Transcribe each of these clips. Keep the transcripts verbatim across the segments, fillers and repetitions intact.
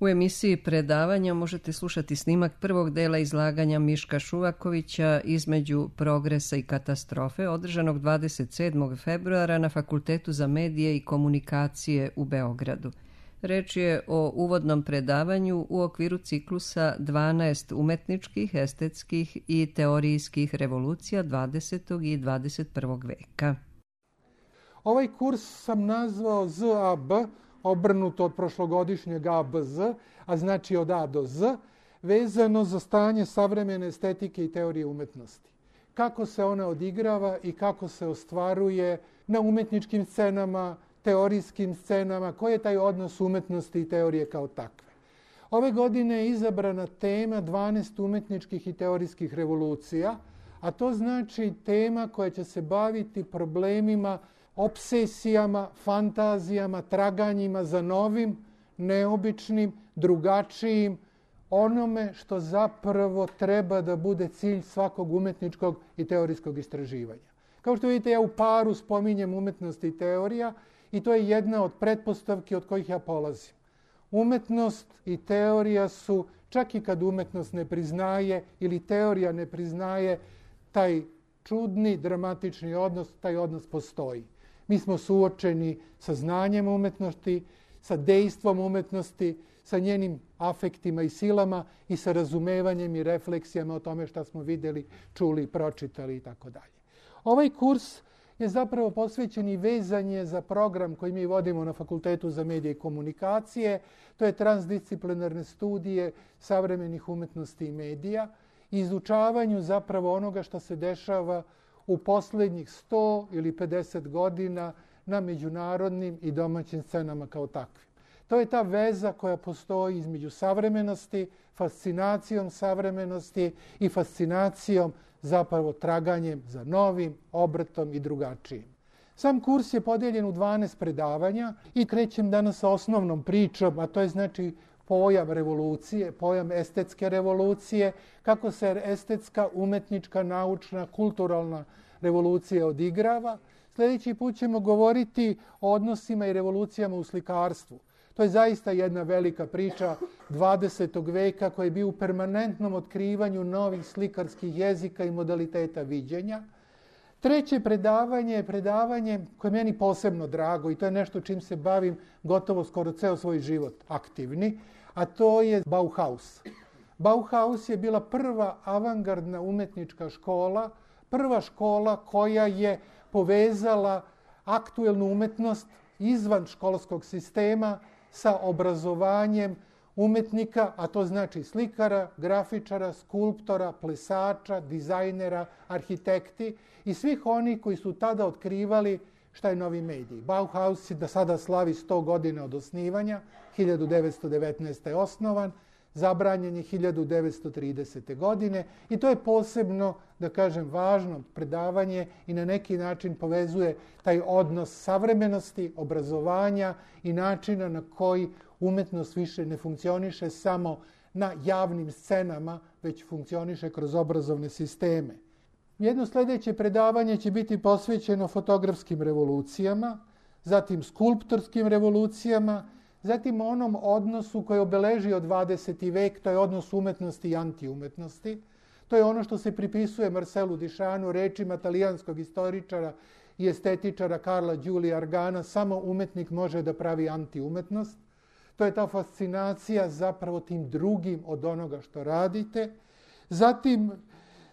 U emisiji predavanja možete slušati snimak prvog dela izlaganja Miška Šuvakovića Između progresa i katastrofe, održanog dvadeset sedmog februara na Fakultetu za medije i komunikacije u Beogradu. Reč je o uvodnom predavanju u okviru ciklusa dvanaest umetničkih, estetskih i teorijskih revolucija dvadesetog i dvadeset prvog veka. Ovaj kurs sam nazvao Z A B, obrnuto od prošlogodišnjeg A B Z, a znači od A do Z, vezano za stanje savremene estetike i teorije umetnosti. Kako se ona odigrava i kako se ostvaruje na umetničkim scenama, teorijskim scenama, koji je taj odnos umetnosti i teorije kao takve. Ove godine je izabrana tema dvanaest umetničkih i teorijskih revolucija, a to znači tema koja će se baviti problemima, opsesijama, fantazijama, traganjima za novim, neobičnim, drugačijim, onome što zapravo treba da bude cilj svakog umetničkog i teorijskog istraživanja. Kao što vidite, ja u paru spominjem umetnost i teorija i to je jedna od pretpostavki od kojih ja polazim. Umetnost i teorija su, čak i kad umetnost ne priznaje ili teorija ne priznaje, taj čudni, dramatični odnos, taj odnos postoji. Mi smo suočeni sa znanjem umetnosti, sa dejstvom umetnosti, sa njenim afektima i silama i sa razumevanjem i refleksijama o tome šta smo videli, čuli, pročitali i tako dalje. Ovaj kurs je zapravo posvećen i vezanje za program koji mi vodimo na Fakultetu za medije i komunikacije. To je transdisciplinarne studije savremenih umetnosti i medija i izučavanju zapravo onoga što se dešava u poslednjih sto ili pedeset godina na međunarodnim i domaćim scenama kao takvim. To je ta veza koja postoji između savremenosti, fascinacijom savremenosti i fascinacijom zapravo traganjem za novim, obratom i drugačijim. Sam kurs je podeljen u dvanaest predavanja i krećem danas sa osnovnom pričom, a to je znači pojam revolucije, pojam estetske revolucije, kako se estetska, umetnička, naučna, kulturalna revolucija odigrava. Sljedeći put ćemo govoriti o odnosima i revolucijama u slikarstvu. To je zaista jedna velika priča dvadesetog veka koji je bio u permanentnom otkrivanju novih slikarskih jezika i modaliteta viđenja. Treće predavanje je predavanje koje je meni posebno drago i to je nešto čim se bavim gotovo skoro ceo svoj život aktivni, a to je Bauhaus. Bauhaus je bila prva avangardna umetnička škola, prva škola koja je povezala aktuelnu umetnost izvan školskog sistema sa obrazovanjem umetnika, a to znači slikara, grafičara, skulptora, plesača, dizajnera, arhitekti i svih onih koji su tada otkrivali šta je novi medij. Bauhaus je da sada slavi sto godina od osnivanja, hiljadu devetsto devetnaeste. je osnovan, zabranjen je hiljadu devetsto tridesete. godine i to je posebno, da kažem, važno predavanje i na neki način povezuje taj odnos savremenosti, obrazovanja i načina na koji umetnost više ne funkcioniše samo na javnim scenama, već funkcioniše kroz obrazovne sisteme. Jedno sljedeće predavanje će biti posvećeno fotografskim revolucijama, zatim skulptorskim revolucijama, zatim onom odnosu koji je obeležio dvadeseti vek, to je odnos umetnosti i antiumetnosti. To je ono što se pripisuje Marcelu Duchampu, rečima talijanskog istoričara i estetičara Carla Giulia Argana, samo umetnik može da pravi antiumetnost. To je ta fascinacija zapravo tim drugim od onoga što radite. Zatim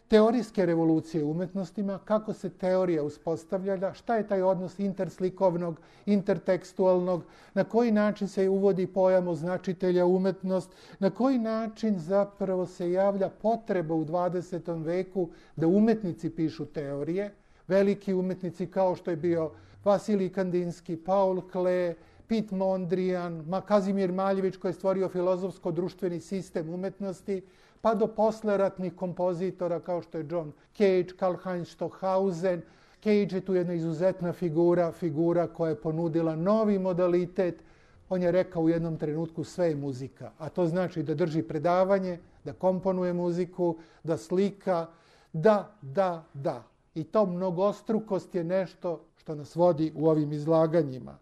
teorijske revolucije u umetnostima, kako se teorija uspostavlja, šta je taj odnos interslikovnog, intertekstualnog, na koji način se uvodi pojam označitelja umetnost, na koji način zapravo se javlja potreba u dvadesetom veku da umetnici pišu teorije, veliki umetnici kao što je bio Vasilij Kandinski, Paul Klee, Piet Mondrian, Kazimir Maljević koji je stvorio filozofsko-društveni sistem umetnosti, pa do posleratnih kompozitora kao što je John Cage, Karlheinz Stockhausen. Cage je tu jedna izuzetna figura, figura koja je ponudila novi modalitet. On je rekao u jednom trenutku sve je muzika, a to znači da drži predavanje, da komponuje muziku, da slika, da, da, da. I to mnogostrukost je nešto što nas vodi u ovim izlaganjima.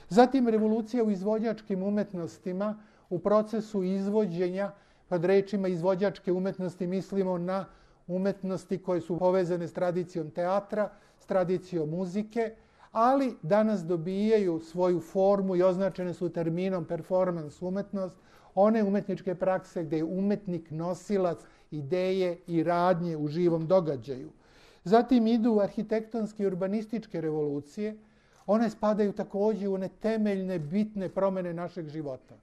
Zatim revolucija u izvođačkim umetnostima u procesu izvođenja, pod rečima izvođačke umetnosti mislimo na umetnosti koje su povezane s tradicijom teatra, s tradicijom muzike, ali danas dobijaju svoju formu i označene su terminom performans umetnost, one umetničke prakse gde je umetnik nosilac ideje i radnje u živom događaju. Zatim idu arhitektonske i urbanističke revolucije, one spadaju takođe u one temeljne, bitne promene našeg života.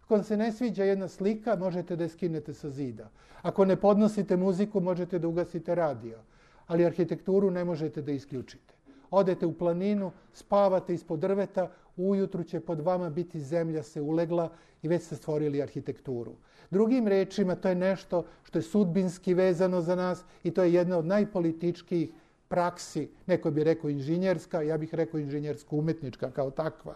Ako vam se ne sviđa jedna slika, možete da je skinete sa zida. Ako ne podnosite muziku, možete da ugasite radio. Ali arhitekturu ne možete da isključite. Odete u planinu, spavate ispod drveta, ujutru će pod vama biti zemlja se ulegla i već ste stvorili arhitekturu. Drugim rečima, to je nešto što je sudbinski vezano za nas i to je jedna od najpolitičkijih praksi, neko bi rekao inženjerska, ja bih rekao inženjersko-umetnička kao takva.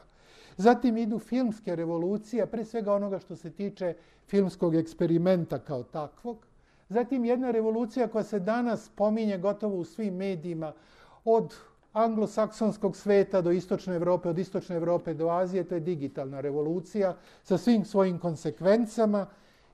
Zatim idu filmske revolucije, pre svega onoga što se tiče filmskog eksperimenta kao takvog. Zatim jedna revolucija koja se danas pominje gotovo u svim medijima, od anglosaksonskog sveta do istočne Evrope, od istočne Evrope do Azije, to je digitalna revolucija sa svim svojim konsekvencama.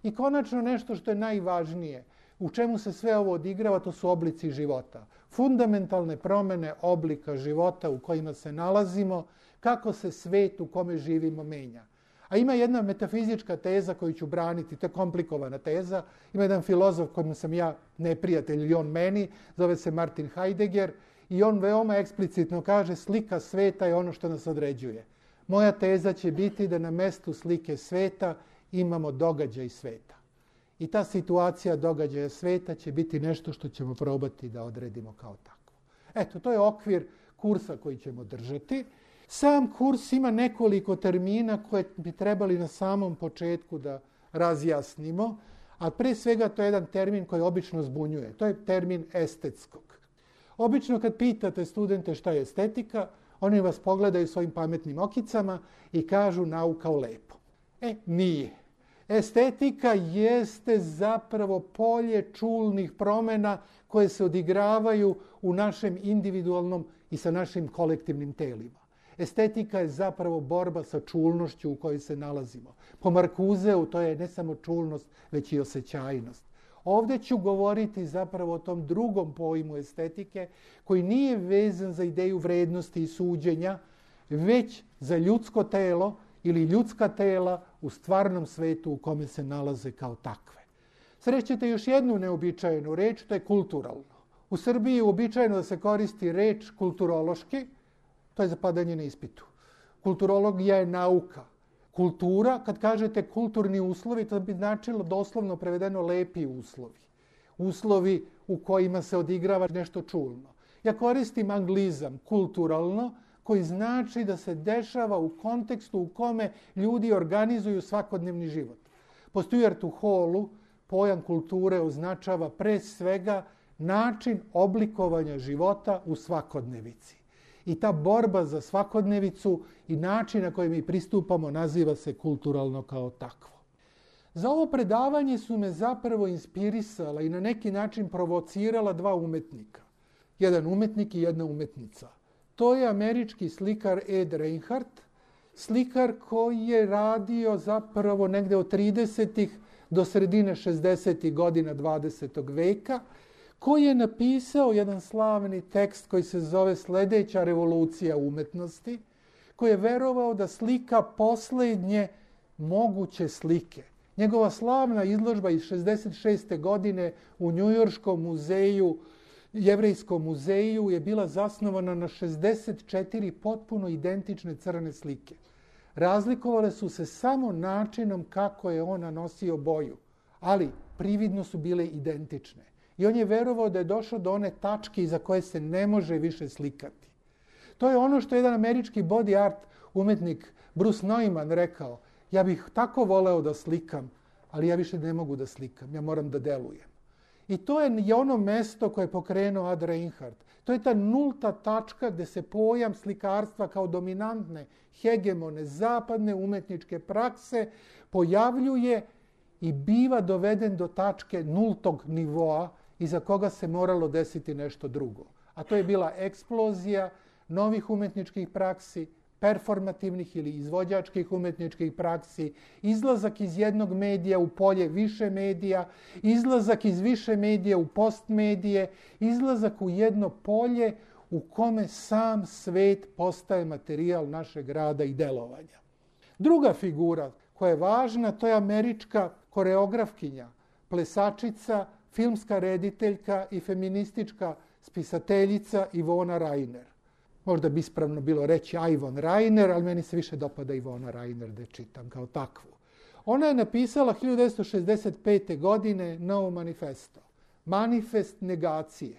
I konačno nešto što je najvažnije, u čemu se sve ovo odigrava, to su oblici života. Fundamentalne promene oblika života u kojima se nalazimo, kako se svet u kome živimo menja. A ima jedna metafizička teza koju ću braniti, to je komplikovana teza. Ima jedan filozof kojim sam ja neprijatelj ili on meni, zove se Martin Heidegger, i on veoma eksplicitno kaže slika sveta je ono što nas određuje. Moja teza će biti da na mestu slike sveta imamo događaj sveta. I ta situacija događaja sveta će biti nešto što ćemo probati da odredimo kao takvo. Eto, to je okvir kursa koji ćemo držati. Sam kurs ima nekoliko termina koje bi trebali na samom početku da razjasnimo, a pre svega to je jedan termin koji obično zbunjuje. To je termin estetskog. Obično kad pitate studente šta je estetika, oni vas pogledaju svojim pametnim okicama i kažu nauka o lepom. E, nije. Estetika jeste zapravo polje čulnih promena koje se odigravaju u našem individualnom i sa našim kolektivnim telima. Estetika je zapravo borba sa čulnošću u kojoj se nalazimo. Po Marcuseu to je ne samo čulnost, već i osjećajnost. Ovde ću govoriti zapravo o tom drugom pojmu estetike koji nije vezan za ideju vrednosti i suđenja, već za ljudsko telo ili ljudska tela u stvarnom svetu u kome se nalaze kao takve. Srećete još jednu neobičajenu reč, to je kulturalno. U Srbiji je uobičajeno da se koristi reč kulturološki, to je zapadanje na ispitu. Kulturologija je nauka. Kultura, kad kažete kulturni uslovi, to bi značilo doslovno prevedeno lepi uslovi. Uslovi u kojima se odigrava nešto čulno. Ja koristim anglizam kulturalno, koji znači da se dešava u kontekstu u kome ljudi organizuju svakodnevni život. Po Stuartu Hallu pojam kulture označava pre svega način oblikovanja života u svakodnevici. I ta borba za svakodnevicu i način na koji mi pristupamo naziva se kulturalno kao takvo. Za ovo predavanje su me zapravo inspirisala i na neki način provocirala dva umetnika. Jedan umetnik i jedna umetnica. To je američki slikar Ed Reinhardt, slikar koji je radio zapravo negde od tridesetih do sredine šezdesetih godina dvadesetog veka, koji je napisao jedan slavni tekst koji se zove Sledeća revolucija umetnosti, koji je verovao da slika poslednje moguće slike. Njegova slavna izložba iz šezdeset šeste. godine u Njujorškom muzeju, Jevrejskom muzeju, je bila zasnovana na šezdeset četiri potpuno identične crne slike. Razlikovale su se samo načinom kako je on nanosio boju, ali prividno su bile identične. I on je verovao da je došao do one tačke iza koje se ne može više slikati. To je ono što je jedan američki body art umetnik Bruce Neumann rekao. Ja bih tako voleo da slikam, ali ja više ne mogu da slikam, ja moram da delujem. I to je ono mesto koje je pokrenuo Ad Reinhardt. To je ta nulta tačka gde se pojam slikarstva kao dominantne, hegemone, zapadne umetničke prakse pojavljuje i biva doveden do tačke nultog nivoa iza koga se moralo desiti nešto drugo. A to je bila eksplozija novih umetničkih praksi, performativnih ili izvođačkih umetničkih praksi, izlazak iz jednog medija u polje više medija, izlazak iz više medija u postmedije, izlazak u jedno polje u kome sam svet postaje materijal našeg rada i delovanja. Druga figura koja je važna, to je američka koreografkinja, plesačica, filmska rediteljka i feministička spisateljica Ivona Rainer. Možda bi ispravno bilo reći Ivon Rainer, ali meni se više dopada Ivona Rainer da je čitam kao takvu. Ona je napisala hiljadu devetsto šezdeset pete. godine Novo manifesto. Manifest negacije.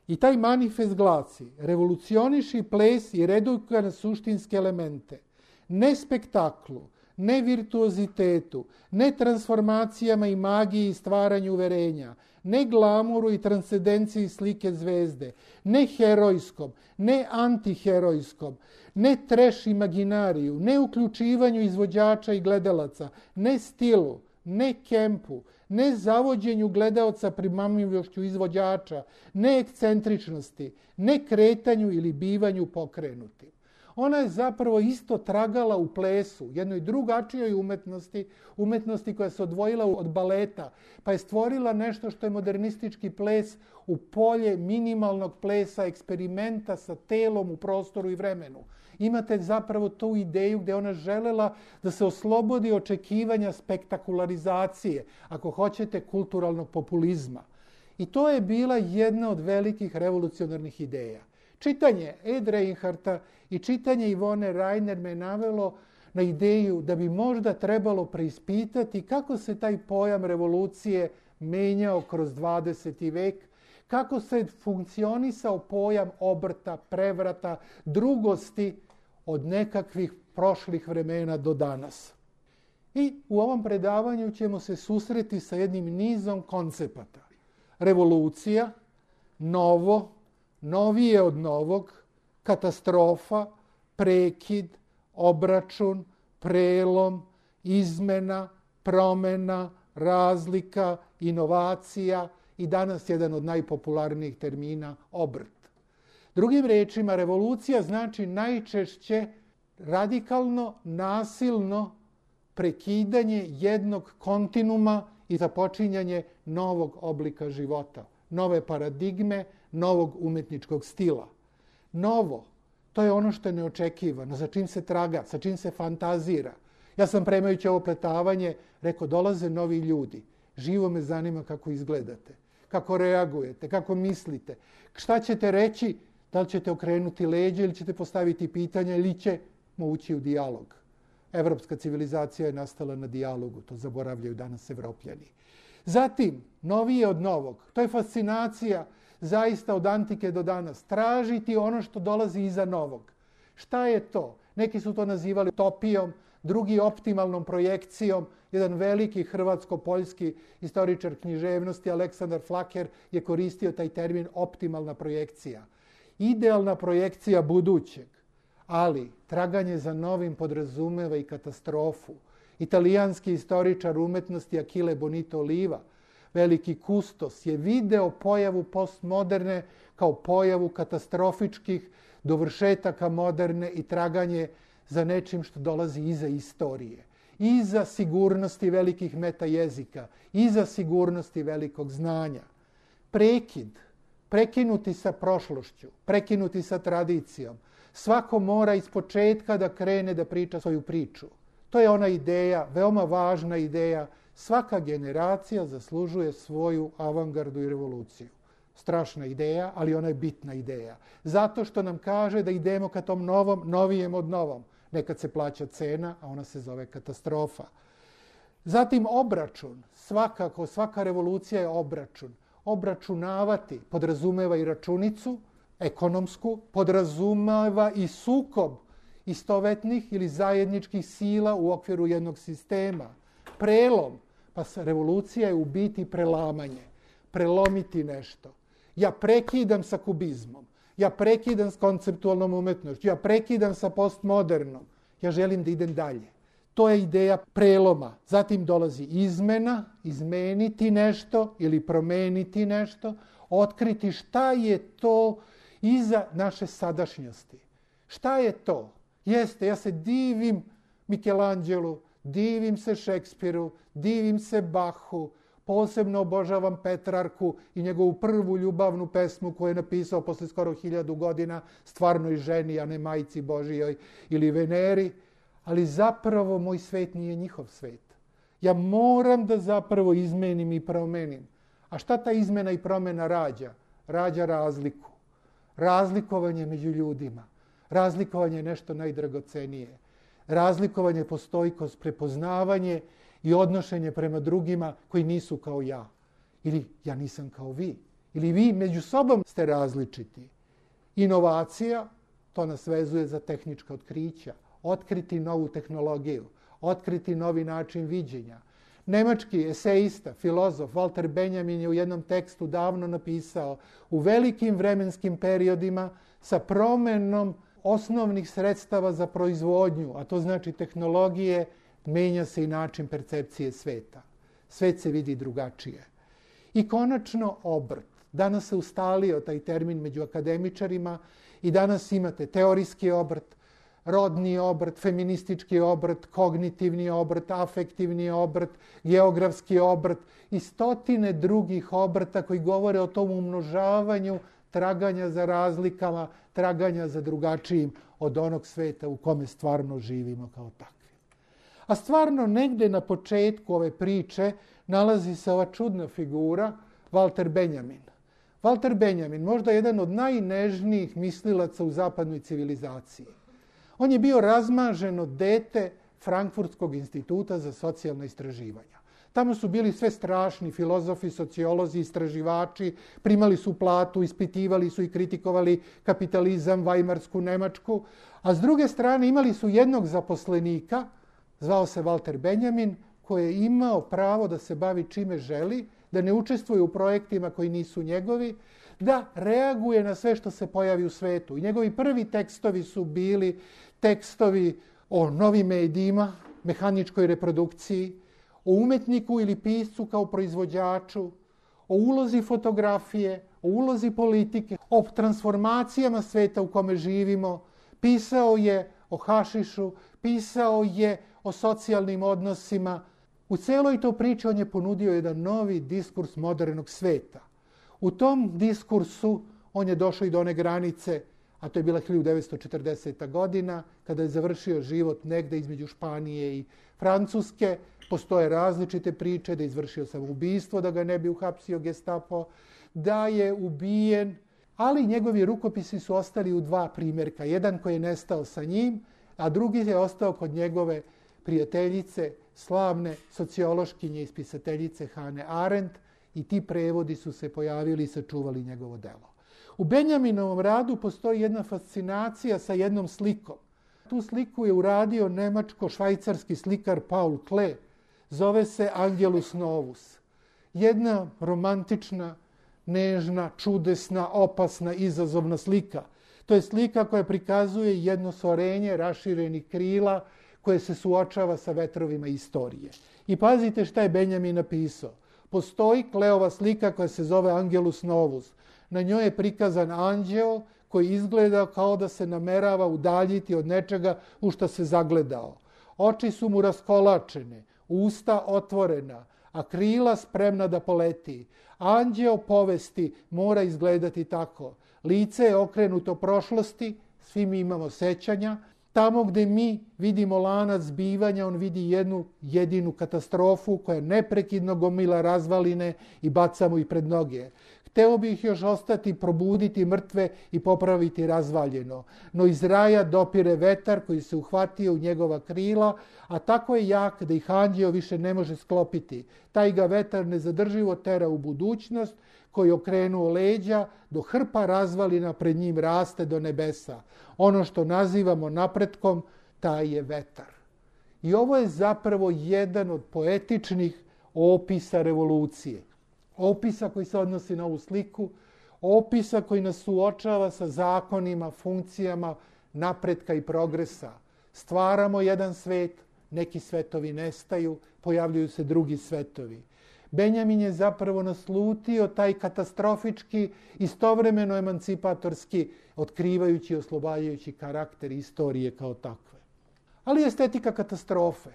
I taj manifest glasi: revolucioniši ples i reduka na suštinske elemente. Ne spektaklu, ne virtuozitetu, ne transformacijama i magiji i stvaranju uverenja, ne glamuru i transcendenciji slike zvezde, ne herojskom, ne antiherojskom, ne treš imaginariju, ne uključivanju izvođača i gledalaca, ne stilu, ne kempu, ne zavođenju gledaoca primamljivošću izvođača, ne ekscentričnosti, ne kretanju ili bivanju pokrenutim. Ona je zapravo isto tragala u plesu, jednoj drugačijoj umetnosti, umetnosti koja se odvojila od baleta, pa je stvorila nešto što je modernistički ples u polje minimalnog plesa, eksperimenta sa telom u prostoru i vremenu. Imate zapravo tu ideju gdje ona želela da se oslobodi očekivanja spektakularizacije, ako hoćete kulturalnog populizma. I to je bila jedna od velikih revolucionarnih ideja. Čitanje Ed Reinharta i čitanje Ivone Rainer me navelo na ideju da bi možda trebalo preispitati kako se taj pojam revolucije menjao kroz dvadeseti vek, kako se funkcionisao pojam obrta, prevrata, drugosti od nekakvih prošlih vremena do danas. I u ovom predavanju ćemo se susreti sa jednim nizom koncepata. Revolucija, novo, novije od novog, katastrofa, prekid, obračun, prelom, izmena, promena, razlika, inovacija i danas jedan od najpopularnijih termina obrt. Drugim rečima, revolucija znači najčešće radikalno, nasilno prekidanje jednog kontinuma i započinjanje novog oblika života, nove paradigme, novog umetničkog stila. Novo, to je ono što je neočekivano, za čim se traga, sa čim se fantazira. Ja sam premajući ovo pletavanje rekao, dolaze novi ljudi. Živo me zanima kako izgledate, kako reagujete, kako mislite. Šta ćete reći, da li ćete okrenuti leđe ili ćete postaviti pitanja ili ćemo ući u dijalog. Evropska civilizacija je nastala na dijalogu, to zaboravljaju danas Evropljani. Zatim, novije od novog, to je fascinacija zaista od antike do danas. Tražiti ono što dolazi iza novog. Šta je to? Neki su to nazivali utopijom, drugi optimalnom projekcijom. Jedan veliki hrvatsko-poljski istoričar književnosti, Aleksandar Flaker, je koristio taj termin optimalna projekcija. Idealna projekcija budućeg, ali traganje za novim podrazumeva i katastrofu. Italijanski istoričar umetnosti Achille Bonito Oliva, veliki kustos, je video pojavu postmoderne kao pojavu katastrofičkih dovršetaka moderne i traganje za nečim što dolazi iza istorije, iza sigurnosti velikih meta jezika, iza sigurnosti velikog znanja. Prekid, prekinuti sa prošlošću, prekinuti sa tradicijom. Svako mora iz početka da krene da priča svoju priču. To je ona ideja, veoma važna ideja. Svaka generacija zaslužuje svoju avangardu i revoluciju. Strašna ideja, ali ona je bitna ideja. Zato što nam kaže da idemo ka tom novom, novijem od novom. Nekad se plaća cena, a ona se zove katastrofa. Zatim obračun. Svakako, svaka revolucija je obračun. Obračunavati podrazumeva i računicu, ekonomsku, podrazumeva i sukob istovetnih ili zajedničkih sila u okviru jednog sistema. Prelom, pa revolucija je u biti prelamanje, prelomiti nešto. Ja prekidam sa kubizmom, ja prekidam s konceptualnom umetnošću, ja prekidam sa postmodernom, ja želim da idem dalje. To je ideja preloma. Zatim dolazi izmena, izmeniti nešto ili promeniti nešto, otkriti šta je to iza naše sadašnjosti. Šta je to? Jeste, ja se divim Michelangelu, divim se Šekspiru, divim se Bachu, posebno obožavam Petrarku i njegovu prvu ljubavnu pesmu koju je napisao posle skoro hiljadu godina stvarnoj ženi, a ne majci Božijoj ili Veneri, ali zapravo moj svet nije njihov svet. Ja moram da zapravo izmenim i promenim. A šta ta izmena i promena rađa? Rađa razliku. Razlikovanje među ljudima. Razlikovanje je nešto najdragocenije. Razlikovanje, postojkost, prepoznavanje i odnošenje prema drugima koji nisu kao ja. Ili ja nisam kao vi. Ili vi među sobom ste različiti. Inovacija, to nas vezuje za tehnička otkrića. Otkriti novu tehnologiju. Otkriti novi način viđenja. Nemački eseista, filozof Walter Benjamin je u jednom tekstu davno napisao: u velikim vremenskim periodima sa promenom osnovnih sredstava za proizvodnju, a to znači tehnologije, menja se i način percepcije sveta. Svet se vidi drugačije. I konačno obrt. Danas se ustalio taj termin među akademičarima i danas imate teorijski obrt, rodni obrt, feministički obrt, kognitivni obrt, afektivni obrt, geografski obrt i stotine drugih obrta koji govore o tom umnožavanju traganja za razlikama, traganja za drugačijim od onog sveta u kome stvarno živimo kao takvi. A stvarno negde na početku ove priče nalazi se ova čudna figura Walter Benjamin. Walter Benjamin, možda jedan od najnežnijih mislilaca u zapadnoj civilizaciji. On je bio razmaženo dete Frankfurtskog instituta za socijalna istraživanja. Tamo su bili sve strašni filozofi, sociolozi, istraživači, primali su platu, ispitivali su i kritikovali kapitalizam, Vajmarsku Nemačku, a s druge strane imali su jednog zaposlenika, zvao se Walter Benjamin, koji je imao pravo da se bavi čime želi, da ne učestvuje u projektima koji nisu njegovi, da reaguje na sve što se pojavi u svetu. I njegovi prvi tekstovi su bili tekstovi o novim medijima, mehaničkoj reprodukciji, o umetniku ili piscu kao proizvođaču, o ulozi fotografije, o ulozi politike, o transformacijama sveta u kome živimo. Pisao je o hašišu, pisao je o socijalnim odnosima. U celoj to priči on je ponudio jedan novi diskurs modernog sveta. U tom diskursu on je došao i do one granice, a to je bila hiljadu devetsto četrdeseta godina, kada je završio život negde između Španije i Francuske. Postoje različite priče da je izvršio samoubistvo, da ga ne bi uhapsio Gestapo, da je ubijen, ali njegovi rukopisi su ostali u dva primjerka. Jedan koji je nestao sa njim, a drugi je ostao kod njegove prijateljice, slavne sociološkinje i spisateljice Hane Arendt, i ti prevodi su se pojavili i sačuvali njegovo delo. U Benjaminovom radu postoji jedna fascinacija sa jednom slikom. Tu sliku je uradio nemačko-švajcarski slikar Paul Klee. Zove se Angelus Novus. Jedna romantična, nežna, čudesna, opasna, izazovna slika. To je slika koja prikazuje jedno stvorenje raširenih krila koje se suočava sa vetrovima istorije. I pazite šta je Benjamin napisao. Postoji Kleova slika koja se zove Angelus Novus. Na njoj je prikazan anđeo koji izgleda kao da se namerava udaljiti od nečega u što se zagledao. Oči su mu raskolačene, usta otvorena, a krila spremna da poleti. Anđeo povesti mora izgledati tako. Lice je okrenuto prošlosti, svi mi imamo sećanja. Tamo gde mi vidimo lanac zbivanja, on vidi jednu jedinu katastrofu koja neprekidno gomila razvaline i bacamo ih pred noge. Hteo bih još ostati, probuditi mrtve i popraviti razvaljeno. No iz raja dopire vetar koji se uhvatio u njegova krila, a tako je jak da ih anđeo više ne može sklopiti. Taj ga vetar nezadrživo tera u budućnost, koji okrenuo leđa, do hrpa razvalina pred njim raste do nebesa. Ono što nazivamo napretkom, taj je vetar. I ovo je zapravo jedan od poetičnih opisa revolucije. Opisa koji se odnosi na ovu sliku, opisa koji nas suočava sa zakonima, funkcijama napretka i progresa. Stvaramo jedan svet, neki svetovi nestaju, pojavljuju se drugi svetovi. Benjamin je zapravo naslutio taj katastrofički, istovremeno emancipatorski, otkrivajući i oslobađajući karakter istorije kao takve. Ali estetika katastrofe,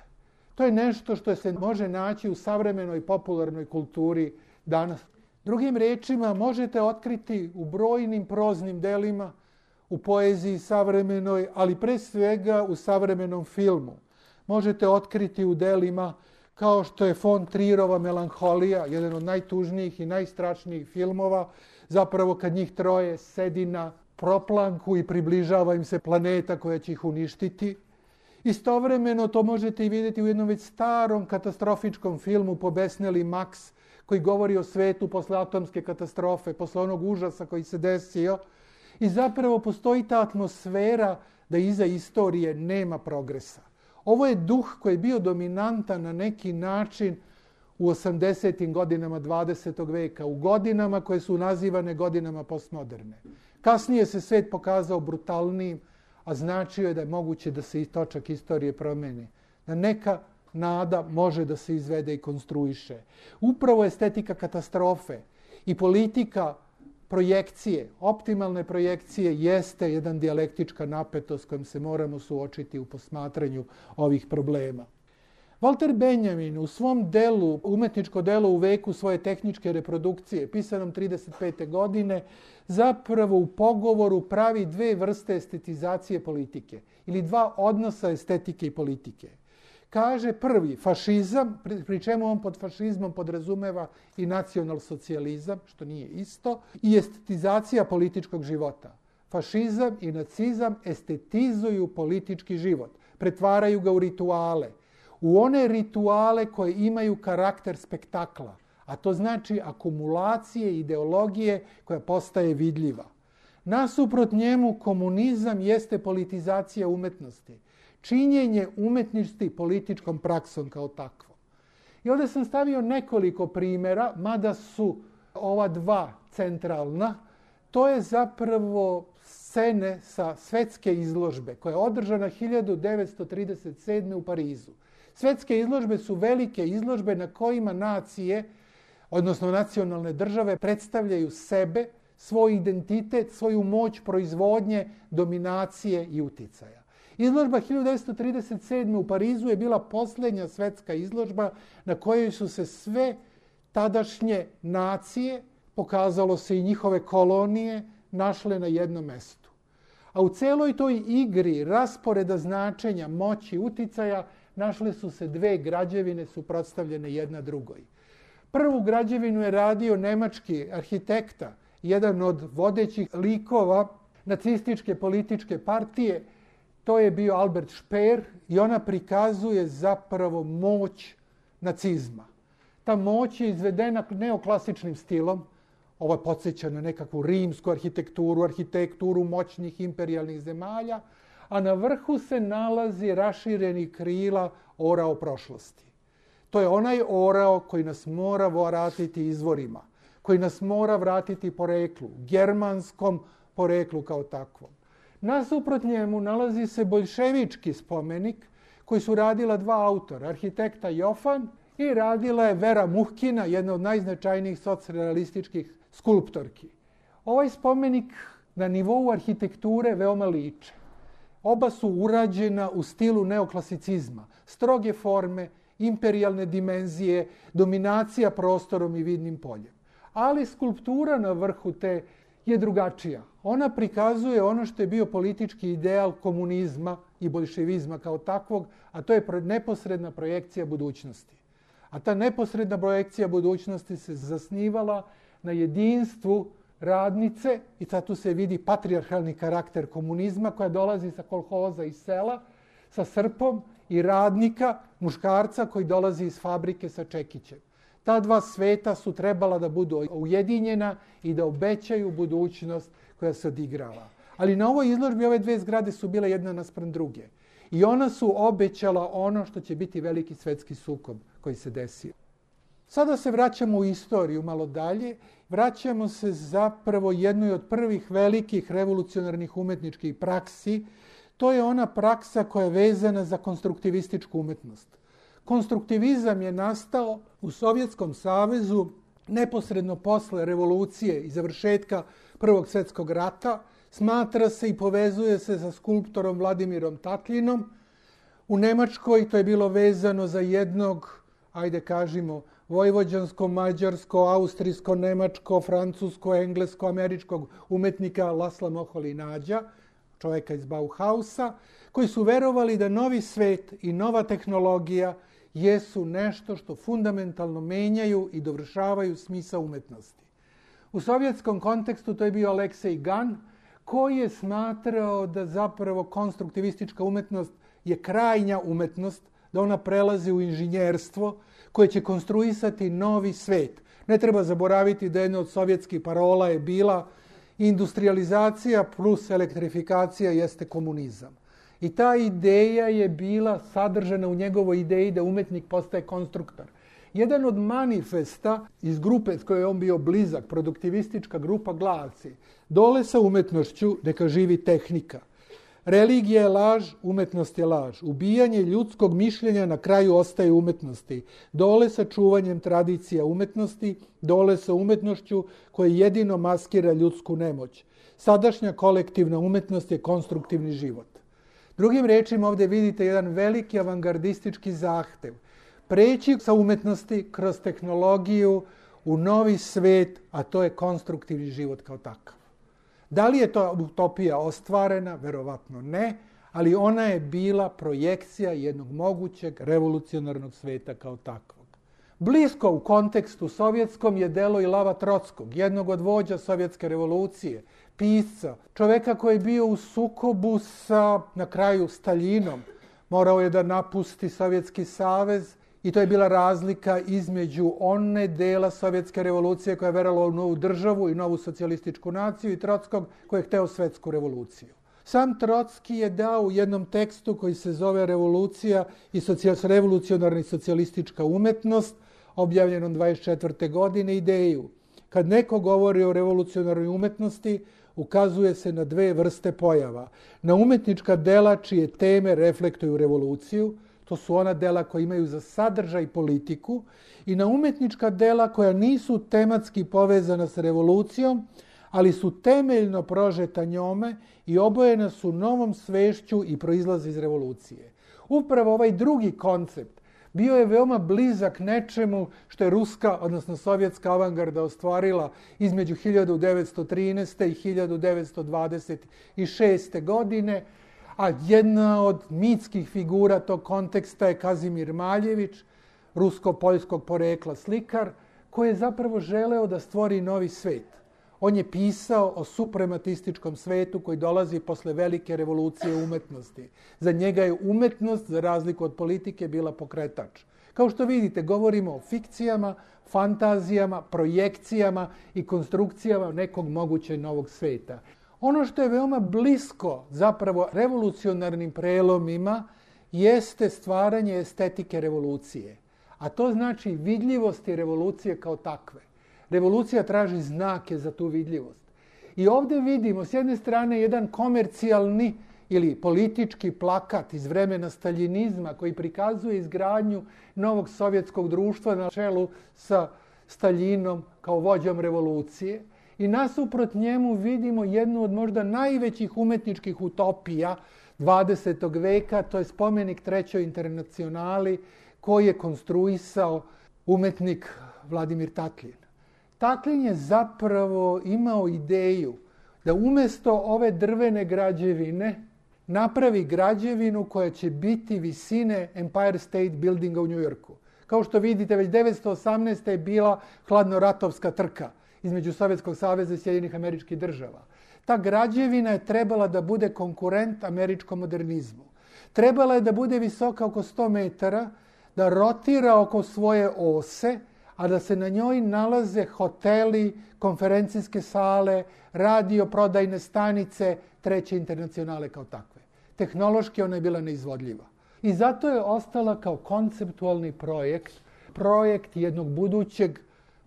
to je nešto što se može naći u savremenoj popularnoj kulturi danas. Drugim rečima, možete otkriti u brojnim proznim delima, u poeziji savremenoj, ali pre svega u savremenom filmu. Možete otkriti u delima kao što je von Trierova Melanholija, jedan od najtužnijih i najstrašnijih filmova, zapravo kad njih troje sedi na proplanku i približava im se planeta koja će ih uništiti. Istovremeno to možete i vidjeti u jednom već starom katastrofičkom filmu Pobesneli Max, koji govori o svetu posle atomske katastrofe, posle onog užasa koji se desio. I zapravo postoji ta atmosfera da iza istorije nema progresa. Ovo je duh koji je bio dominantan na neki način u osamdesetim godinama dvadesetog veka, u godinama koje su nazivane godinama postmoderne. Kasnije se svet pokazao brutalnijim, a značio je da je moguće da se i točak istorije promeni. Da neka nada može da se izvede i konstruiše. Upravo estetika katastrofe i politika projekcije, optimalne projekcije, jeste jedan dijalektička napetost kojom se moramo suočiti u posmatranju ovih problema. Walter Benjamin u svom delu, umetničko delo u veku svoje tehničke reprodukcije, pisanom trideset pete godine, zapravo u pogovoru pravi dve vrste estetizacije politike ili dva odnosa estetike i politike. Kaže prvi, fašizam, pri čemu on pod fašizmom podrazumeva i nacionalsocijalizam, što nije isto, i estetizacija političkog života. Fašizam i nacizam estetizuju politički život, pretvaraju ga u rituale, u one rituale koje imaju karakter spektakla, a to znači akumulacije ideologije koja postaje vidljiva. Nasuprot njemu komunizam jeste politizacija umetnosti, činjenje umetnosti političkom praksom kao takvom. I ovdje sam stavio nekoliko primjera, mada su ova dva centralna. To je zapravo scene sa svetske izložbe koja je održana hiljadu devetsto trideset sedme u Parizu. Svetske izložbe su velike izložbe na kojima nacije, odnosno nacionalne države, predstavljaju sebe, svoj identitet, svoju moć proizvodnje, dominacije i uticaja. Izložba hiljadu devetsto trideset sedme u Parizu je bila posljednja svetska izložba na kojoj su se sve tadašnje nacije, pokazalo se i njihove kolonije, našle na jednom mestu. A u celoj toj igri rasporeda značenja, moći, uticaja, našle su se dve građevine suprotstavljene jedna drugoj. Prvu građevinu je radio nemački arhitekta, jedan od vodećih likova nacističke političke partije. To je bio Albert Speer i ona prikazuje zapravo moć nacizma. Ta moć je izvedena neoklasičnim stilom. Ovo podsjeća na nekakvu rimsku arhitekturu, arhitekturu moćnih imperijalnih zemalja, a na vrhu se nalazi rašireni krila orao prošlosti. To je onaj orao koji nas mora vratiti izvorima, koji nas mora vratiti poreklu, germanskom poreklu kao takvom. Nasuprot njemu nalazi se boljševički spomenik koji su radila dva autora, arhitekta Jofan i radila je Vera Muhkina, jedna od najznačajnijih socrealističkih skulptorki. Ovaj spomenik na nivou arhitekture veoma liče. Oba su urađena u stilu neoklasicizma, stroge forme, imperijalne dimenzije, dominacija prostorom i vidnim poljem. Ali skulptura na vrhu te je drugačija. Ona prikazuje ono što je bio politički ideal komunizma i boljševizma kao takvog, a to je neposredna projekcija budućnosti. A ta neposredna projekcija budućnosti se zasnivala na jedinstvu radnice, i sad tu se vidi patrijarhalni karakter komunizma koja dolazi sa kolhoza iz sela, sa srpom, i radnika, muškarca koji dolazi iz fabrike sa čekićem. Ta dva sveta su trebala da budu ujedinjena i da obećaju budućnost koja se odigrava. Ali na ovoj izložbi ove dve zgrade su bile jedna naspram druge. I ona su obećala ono što će biti veliki svetski sukob koji se desio. Sada se vraćamo u istoriju malo dalje. Vraćamo se zapravo jednoj od prvih velikih revolucionarnih umetničkih praksi. To je ona praksa koja je vezana za konstruktivističku umetnost. Konstruktivizam je nastao u Sovjetskom savezu neposredno posle revolucije i završetka Prvog svjetskog rata. Smatra se i povezuje se sa skulptorom Vladimirom Tatljinom. U Nemačkoj to je bilo vezano za jednog, ajde kažimo, vojvođansko, mađarsko, austrijsko, nemačko, francusko, englesko, američkog umetnika Lasla Moholy-Nagya, čovjeka iz Bauhausa, koji su verovali da novi svet i nova tehnologija jesu nešto što fundamentalno menjaju i dovršavaju smisao umetnosti. U sovjetskom kontekstu to je bio Aleksej Gan, koji je smatrao da zapravo konstruktivistička umetnost je krajnja umetnost, da ona prelazi u inženjerstvo koje će konstruisati novi svet. Ne treba zaboraviti da jedna od sovjetskih parola je bila industrializacija plus elektrifikacija jeste komunizam. I ta ideja je bila sadržana u njegovoj ideji da umetnik postaje konstruktor. Jedan od manifesta iz grupe s kojoj je on bio blizak, produktivistička grupa, glasi: dole sa umetnošću neka živi tehnika. Religija je laž, umetnost je laž. Ubijanje ljudskog mišljenja na kraju ostaje umetnosti. Dole sa čuvanjem tradicija umetnosti, dole sa umetnošću koja jedino maskira ljudsku nemoć. Sadašnja kolektivna umetnost je konstruktivni život. Drugim rečima, ovdje vidite jedan veliki avangardistički zahtev. Preći sa umetnosti kroz tehnologiju u novi svet, a to je konstruktivni život kao takav. Da li je to utopija ostvarena? Verovatno ne, ali ona je bila projekcija jednog mogućeg revolucionarnog sveta kao takvog. Blisko u kontekstu sovjetskom je delo i Lava Trockog, jednog od vođa sovjetske revolucije, pisca, čoveka koji je bio u sukobu sa, na kraju, Staljinom. Morao je da napusti Sovjetski savez i to je bila razlika između one dela sovjetske revolucije koja je verovala u novu državu i novu socijalističku naciju i Trockog koji je hteo svetsku revoluciju. Sam Trocki je dao u jednom tekstu koji se zove Revolucija i revolucionarna i socijalistička umetnost, objavljenom dvadeset četvrte godine, ideju. Kad neko govori o revolucionarnoj umetnosti, ukazuje se na dve vrste pojava. Na umetnička dela čije teme reflektuju revoluciju, to su ona dela koja imaju za sadržaj politiku, i na umetnička dela koja nisu tematski povezana s revolucijom, ali su temeljno prožeta njome i obojena su novom svešću i proizlaze iz revolucije. Upravo ovaj drugi koncept bio je veoma blizak nečemu što je ruska, odnosno sovjetska avangarda ostvarila između hiljadu devetsto trinaeste. i hiljadu devetsto dvadeset šeste. godine, a jedna od mitskih figura tog konteksta je Kazimir Maljević, rusko-poljskog porekla slikar, koji je zapravo želeo da stvori novi svet. On je pisao o suprematističkom svetu koji dolazi posle velike revolucije umetnosti. Za njega je umetnost, za razliku od politike, bila pokretač. Kao što vidite, govorimo o fikcijama, fantazijama, projekcijama i konstrukcijama nekog mogućeg novog sveta. Ono što je veoma blisko zapravo revolucionarnim prelomima jeste stvaranje estetike revolucije. A to znači vidljivosti revolucije kao takve. Revolucija traži znake za tu vidljivost. I ovdje vidimo s jedne strane jedan komercijalni ili politički plakat iz vremena staljinizma koji prikazuje izgradnju novog sovjetskog društva na čelu sa Staljinom kao vođom revolucije. I nasuprot njemu vidimo jednu od možda najvećih umetničkih utopija dvadesetog veka, to je spomenik Trećoj internacionali koji je konstruisao umetnik Vladimir Tatlin. Tatlin je zapravo imao ideju da umjesto ove drvene građevine napravi građevinu koja će biti visine Empire State Buildinga u Njujorku. Kao što vidite, već devetsto osamnaeste. je bila hladnoratovska trka između Sovjetskog saveza i Sjedinjenih Američkih Država. Ta građevina je trebala da bude konkurent američkom modernizmu. Trebala je da bude visoka oko sto metara, da rotira oko svoje ose, a da se na njoj nalaze hoteli, konferencijske sale, radio prodajne stanice Treće internacionale kao takve. Tehnološki ona je bila neizvodljiva. I zato je ostala kao konceptualni projekt, projekt jednog budućeg,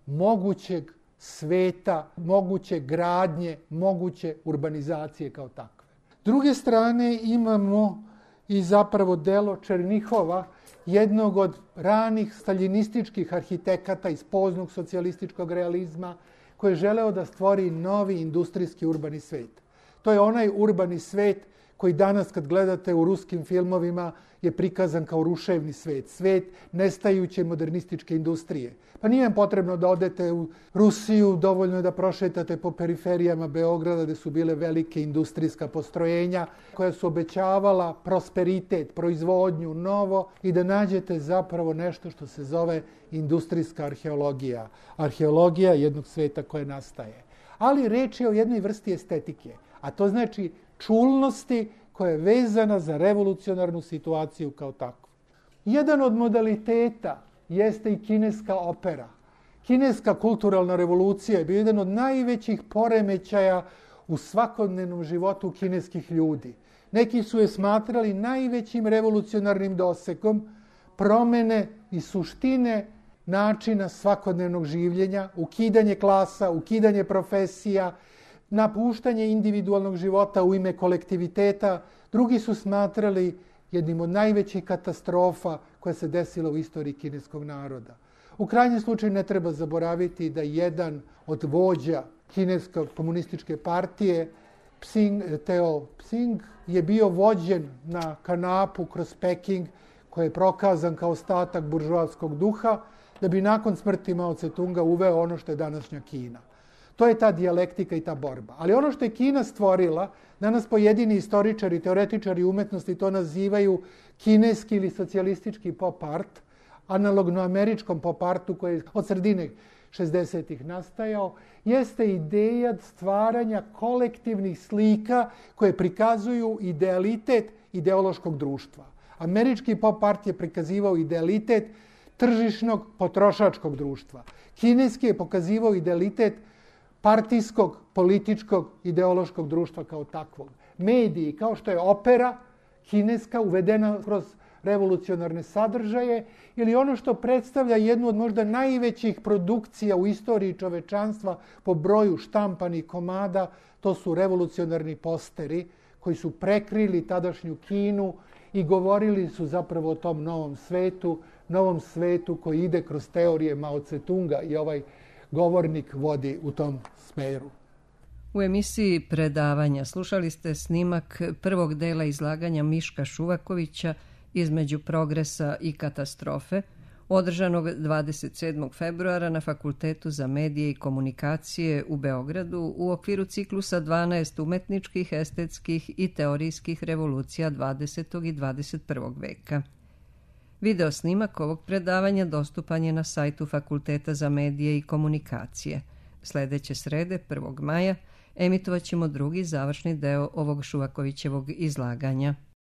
mogućeg sveta, moguće gradnje, moguće urbanizacije kao takve. S druge strane imamo i zapravo delo Černihova, jednog od ranih staljinističkih arhitekata iz poznog socijalističkog realizma koji je želeo da stvori novi industrijski urbani svet. To je onaj urbani svet koji danas kad gledate u ruskim filmovima je prikazan kao ruševni svet, svet nestajuće modernističke industrije. Pa nije vam potrebno da odete u Rusiju, dovoljno je da prošetate po periferijama Beograda gde su bile velike industrijska postrojenja koja su obećavala prosperitet, proizvodnju, novo i da nađete zapravo nešto što se zove industrijska arheologija. Arheologija jednog sveta koje nastaje. Ali reč je o jednoj vrsti estetike, a to znači čulnosti koja je vezana za revolucionarnu situaciju kao takvu. Jedan od modaliteta jeste i kineska opera. Kineska kulturalna revolucija je bio jedan od najvećih poremećaja u svakodnevnom životu kineskih ljudi. Neki su je smatrali najvećim revolucionarnim dosekom promene i suštine načina svakodnevnog življenja, ukidanje klasa, ukidanje profesija, napuštanje individualnog života u ime kolektiviteta. Drugi su smatrali jednim od najvećih katastrofa koja se desila u istoriji kineskog naroda. U krajnjem slučaju ne treba zaboraviti da jedan od vođa kineske komunističke partije, Psing, Teo Psing, je bio vođen na kanapu kroz Peking, koji je prokazan kao ostatak buržoaskog duha, da bi nakon smrti Mao Tse-tunga uveo ono što je današnja Kina. To je ta dijalektika i ta borba. Ali ono što je Kina stvorila, danas pojedini istoričari, teoretičari umetnosti to nazivaju kineski ili socijalistički pop art, analogno američkom pop artu koji je od sredine šezdesetih nastajao, jeste ideja stvaranja kolektivnih slika koje prikazuju idealitet ideološkog društva. Američki pop art je prikazivao idealitet tržišnog potrošačkog društva. Kineski je pokazivao idealitet partijskog, političkog, ideološkog društva kao takvog. Mediji, kao što je opera kineska uvedena kroz revolucionarne sadržaje ili ono što predstavlja jednu od možda najvećih produkcija u istoriji čovečanstva po broju štampanih komada, to su revolucionarni posteri koji su prekrili tadašnju Kinu i govorili su zapravo o tom novom svetu, novom svetu koji ide kroz teorije Mao Tse-tunga i ovaj govornik vodi u tom smeru. U emisiji predavanja slušali ste snimak prvog dela izlaganja Miška Šuvakovića Između progresa i katastrofe, održanog dvadeset sedmog februara na Fakultetu za medije i komunikacije u Beogradu u okviru ciklusa dvanaest umetničkih, estetskih i teorijskih revolucija dvadesetog i dvadeset prvog veka. Video snimak ovog predavanja dostupan je na sajtu Fakulteta za medije i komunikacije. Sledeće srede, prvog maja, emitovat ćemo drugi završni deo ovog Šuvakovićevog izlaganja.